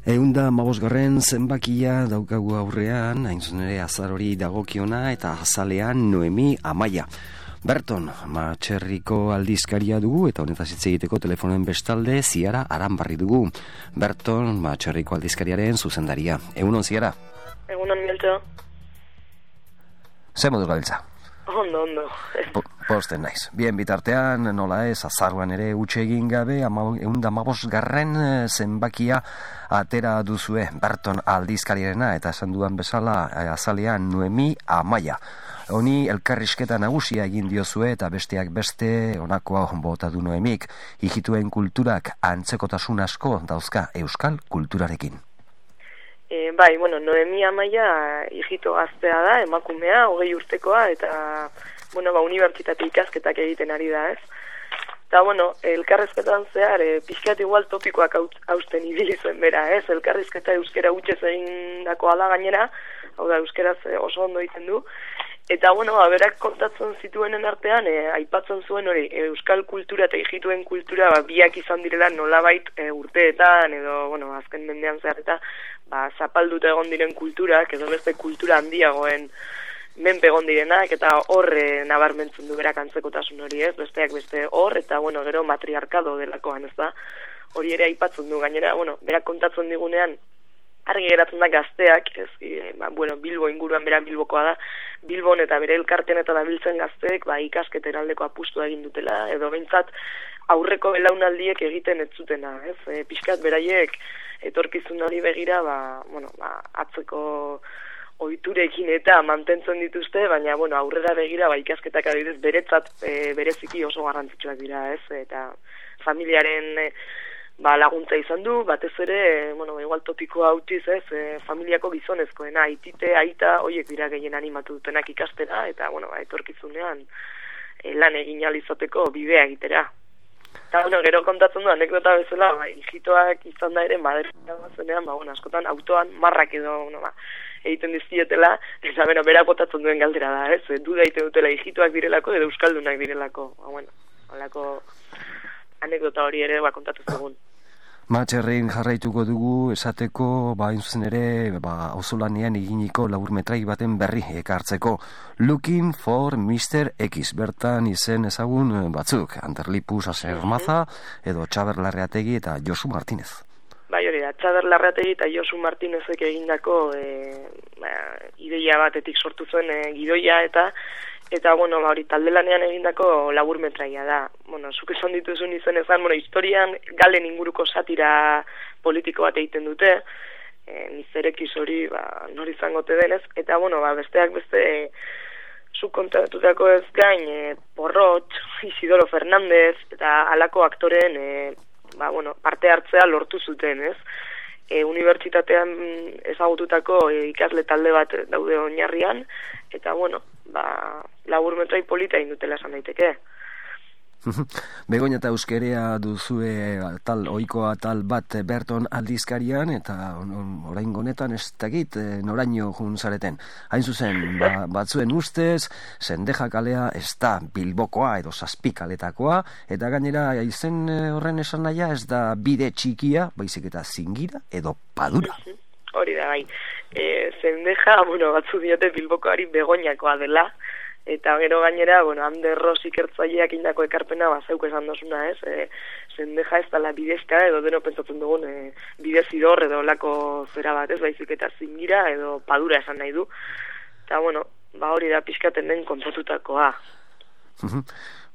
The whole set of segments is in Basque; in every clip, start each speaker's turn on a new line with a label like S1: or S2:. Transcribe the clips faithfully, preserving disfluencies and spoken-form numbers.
S1: Eunda mabosgarren zenbakia daukagu aurrean, hain zuzen ere azar hori dagokiona eta azalean Noemi Amaia. Berton, Matxerriko aldizkaria dugu eta honetaz hitz egiteko telefonen bestalde Ziara Aranbarri dugu. Berton, Matxerriko aldizkariaren zuzendaria. Egunon, Ziara?
S2: Egunon, Mieltxo.
S1: Zer moduz gabiltza?
S2: Ondo, ondo.
S1: Po, posten naiz. Bien bitartean, nola ez, azaruan ere utxe egin gabe, eunda mabosgarren zenbakia atera duzue Berton aldizkariarena eta esan dudan bezala azalean Noemi Amaia. Honi elkarrizketa nagusia egin diozue eta besteak beste honakoa bota du Noemik. Hijituen kulturak antzekotasun asko dauzka euskal kulturarekin.
S2: E, bai, bueno, Noemi Amaia hijito gaztea da, emakumea, hogei urtekoa, eta, bueno, ba, unibertsitate ikasketak egiten ari da, ez? Eta, bueno, elkarrizketan zehar, e, pixkat igual topikoak hausten ibili zuen bera, ez? Elkarrizketa euskera utxez egin dakoa da gainera, hau da, euskeraz oso ondo egiten du. Eta, bueno, berak kontatzen zituenen artean, e, aipatzen zuen hori, e, euskal kultura eta hijituen kultura ba, biak izan direla nolabait e, urteetan, edo, bueno, azken mendean zehar eta, ba, zapalduta egon diren kulturak, edo beste kultura handiagoen menpe egon direnak, eta hor e, nabarmentzen du berak antzekotasun hori, ez, besteak beste hor, eta, bueno, gero matriarkado delakoan, ez da, hori ere aipatzen du, gainera, bueno, berak kontatzen digunean, argi geratzen da gazteak, ez, e, ba, bueno, Bilbo inguruan bera Bilbokoa da, Bilbon eta bere elkartean eta dabiltzen gazteek, ba, ikasketen aldeko apustua egin dutela, edo behintzat aurreko belaunaldiek egiten ez zutena, ez, e, pixkat beraiek etorkizun hori begira, ba, bueno, ba, atzeko ohiturekin eta mantentzen dituzte, baina, bueno, aurrera begira, ba, ikasketak adibidez beretzat e, bereziki oso garrantzitsuak dira, ez, eta familiaren e, ba, laguntza izan du, batez ere, e, bueno, igual topikoa hautiz, ez, e, familiako gizonezkoena, aitite, aita, hoiek dira gehien animatu dutenak ikastera, eta, bueno, ba, etorkizunean e, lan egin alizateko bidea egitera. Eta, bueno, gero kontatzen du, anekdota bezala, ba, hijitoak izan da ere, Madrilen zenean, ba, bueno, askotan autoan marrak edo, bueno, ba, egiten dizkietela, eta, bueno, berak botatzen duen galdera da, ez, e, duda egiten dutela hijitoak direlako edo euskaldunak direlako, ba, bueno, halako anekdota hori ere, ba, kontatu zegoen.
S1: Matxerrin jarraituko dugu esateko, ba, zuzen ere, ba, auzolanean eginiko laburmetrai baten berri ekartzeko. Looking for mister X, bertan izen ezagun batzuk, Anderlipus Asermaza, edo Txaber Larreategi eta Josu Martinez.
S2: Bai, hori da, Txaber Larreategi eta Josu Martinezek egindako e, ba, ideia batetik sortu zuen e, gidoia eta Eta, bueno, ba, hori, talde lanean egindako laburmetraia da. Bueno, zuk esan dituzun izen ezan, bueno, historian galen inguruko satira politiko bat egiten dute, e, nizerekiz hori, ba, nori izango te denez, eta, bueno, ba, besteak beste, e, zuk kontatutako ez gain, e, Porrot, Isidoro Fernandez, eta halako aktoreen, e, ba, bueno, parte hartzea lortu zuten, ez? E, unibertsitatean ezagututako e, ikasle talde bat daude oinarrian, eta, bueno, ba, laburmetrai polita indutela esan daiteke.
S1: Begoña eta euskerea duzue tal ohikoa tal bat Berton aldizkarian, eta orain honetan ez dakit noraino jun zareten. Hain zuzen, ba, batzuen ustez, Zendeja kalea ez da Bilbokoa edo Zazpi kaletakoa, eta gainera izen horren esan nahia ez da bide txikia, baizik eta Zingira edo Padura.
S2: Hori da, bai. E, Zendeja, bueno, batzu diote Bilbokoari Begoñakoa dela, eta gero gainera, bueno, Ander Ros ikertzaileak indako ekarpena bazeuk esan dozuna, ez? E, Zendeja ez dela bidezka edo deno pentsatzen dugun e, bidezidor edo lako zera bat, ez? Baizik eta Zingira edo Padura esan nahi du. Eta, bueno, ba hori da pixkaten den kontatutakoa.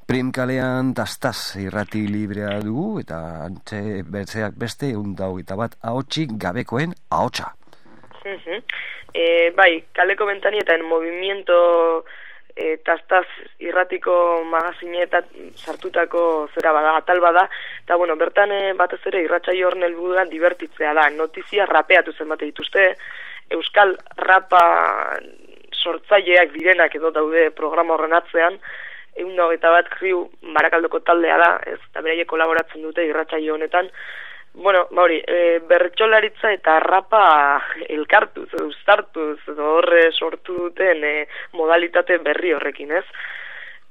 S1: Prim kalean tastaz irrati librea dugu, eta antxe bertzeak beste undau eta bat ahotsik gabekoen ahotsa.
S2: E, bai, kaleko bentanietan movimiento e, tastaz irratiko magazineetan sartutako zera bada, atal bada, eta bueno, bertan e, batez ere irratsaio horren helburua divertitzea da, notizia rapeatu zenbate dituzte, euskal rapa sortzaileak direnak edo daude programa horren atzean, egun da hogeita bat kriu Barakaldoko taldea da, ez, eta beraiek kolaboratzen dute irratsaio honetan. Bueno, ba hori, e, bertsolaritza eta rapa elkartuz, edo uztartuz, edo horre sortu duten e, modalitate berri horrekin, ez?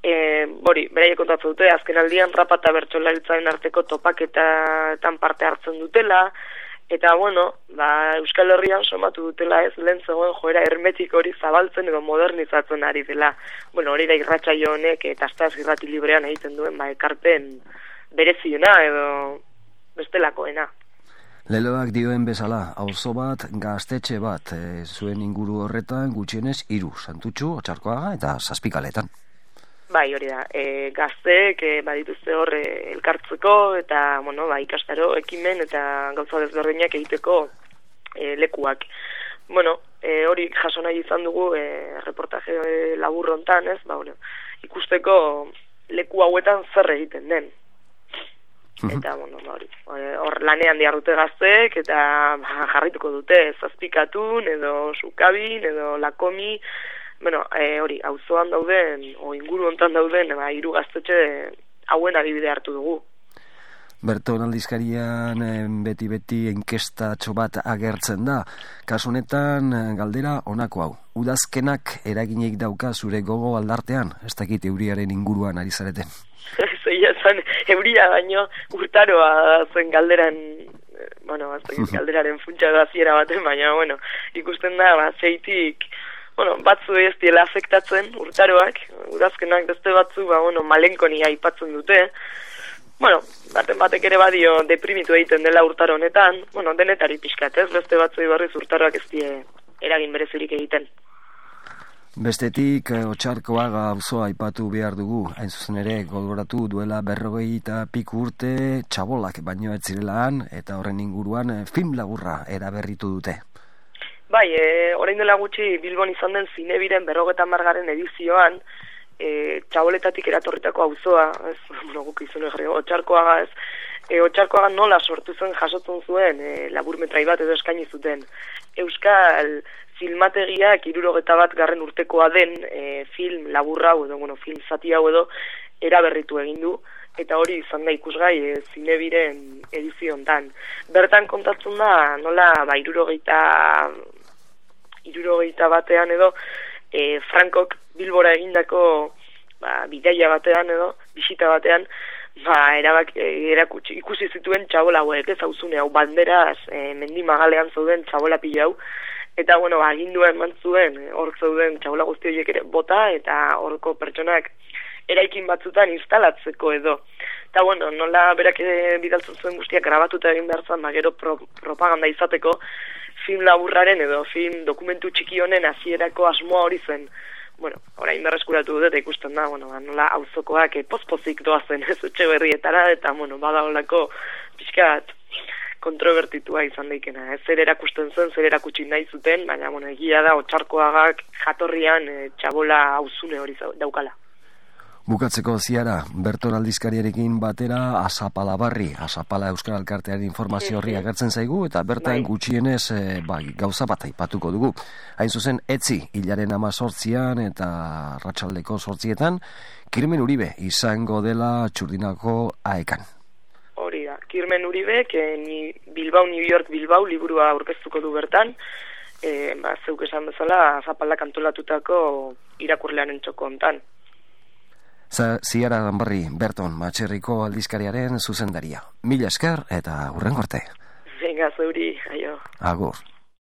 S2: E, bori, beraiek kontatzen dute, azken aldian rapa eta bertsolaritzaren arteko topaketan parte hartzen dutela, Eta, bueno, ba, Euskal Herrian somatu dutela ez lehen zegoen joera hermetik hori zabaltzen edo modernizatzen ari dela. Bueno, hori da irratsaio honek eta Astaz Irrati Librean egiten duen, ba, ekarpen bereziena edo bestelakoena.
S1: Leloak dioen bezala, auzo bat, gaztetxe bat, e, zuen inguru horretan gutxienez hiru, Santutxu, Otxarkoaga eta Zazpikaletan.
S2: Bai, hori da, e, gazteek e, badituzte hor e, elkartzeko eta, bueno, ba, ikastaro, ekimen eta gauza desberdinak egiteko e, lekuak. Bueno, e, hori jaso nahi izan dugu e, reportaje e, labur hontan, ez, ba, bueno, ikusteko leku hauetan zer egiten den. Eta, bueno, hori, hor lanean diarrute gazteek, eta ba, jarrituko dute, Zazpikatun, edo Sukabin, edo Lakomi, bueno, e, hori, auzoan dauden, o inguru hontan dauden, ba, hiru gaztetxe hauen adibide hartu dugu.
S1: Berton aldizkarian beti-beti enkestatxo bat agertzen da. Kasu honetan, galdera honako hau. Udazkenak eraginik dauka zure gogo aldartean, ez dakit euriaren inguruan ari zareten.
S2: Zeia zen, euria baino urtaroa zen galderan, bueno, ez dakit galderaren funtsa da ziera baten, baina, bueno, ikusten da, ba, zeitik, bueno, batzu ez diela afektatzen urtaroak, udazkenak beste batzu, ba, bueno, malenkoni aipatzen dute, bueno, baten batek ere badio deprimitu egiten dela urtaro honetan, bueno, denetari pixkat, ez, beste batzu ibarriz urtaroak ez die eragin berezirik egiten.
S1: Bestetik, Otxarkoaga auzoa aipatu behar dugu, hain zuzen ere gogoratu duela berrogei eta piku urte txabolak baino ez zirelaan, eta horren inguruan film laburra eraberritu dute.
S2: Bai, e, orain dela gutxi Bilbon izan den Zinebiren berrogeta margarren edizioan, e, txaboletatik eratorritako auzoa, ez, bueno, guk izan egin, Otxarkoaga ez, e, Otxarkoaga nola sortu zen jasotzen zuen e, laburmetrai bat edo eskaini zuten. Euskal filmategiak hirurogeta bat garren urtekoa den e, film laburra edo, bueno, film zati hau edo eraberritu egin du, eta hori izan da ikusgai e, Zinebiren edizio hontan. Bertan kontatzen da nola ba hirurogeita hirurogeita batean edo e, Frankok Bilbora egindako ba, bidaia batean edo bisita batean ba, erabak, e, erakutsi, ikusi zituen txabola hauek, ez auzune hau banderaz e, mendi magalean zauden txabola pila hau, eta bueno, agindua eman zuen hor zauden txabola guzti horiek ere bota eta horko pertsonak eraikin batzutan instalatzeko edo. Eta bueno, nola berak bidaltzen zuen guztiak grabatuta egin behar zan, gero pro, propaganda izateko film laburraren edo film dokumentu txiki honen hasierako asmoa hori zen. Bueno, orain berreskuratu dut eta ikusten da, bueno, nola auzokoak e, pozpozik doazen ez etxe berrietara, eta bueno, bada holako pixkat kontrobertitua izan daikena. Ez zer erakusten zen, zer erakutsi nahi zuten, baina bueno, egia da Otxarkoagak jatorrian e, txabola auzune hori daukala.
S1: Bukatzeko ziara, Berton aldizkariarekin batera Azapala barri, Azapala Euskal Alkartearen informazio horri agertzen zaigu, eta bertan gutxienez e, bai, gauza bat aipatuko dugu. Hain zuzen, etzi, hilaren amazortzian eta arratsaldeko sortzietan, Kirmen Uribe izango dela Txurdinako aekan.
S2: Hori da, Kirmen Uribe, ni Bilbao, New York, Bilbao liburua aurkeztuko du bertan, e, ba, zeuk esan bezala Azapalak antolatutako irakurlearen txoko hontan.
S1: Ziara Danbarri, Berton, Matxerriko aldizkariaren zuzendaria. Mila esker eta hurrengo arte.
S2: Venga, zeuri, aio.
S1: Agur.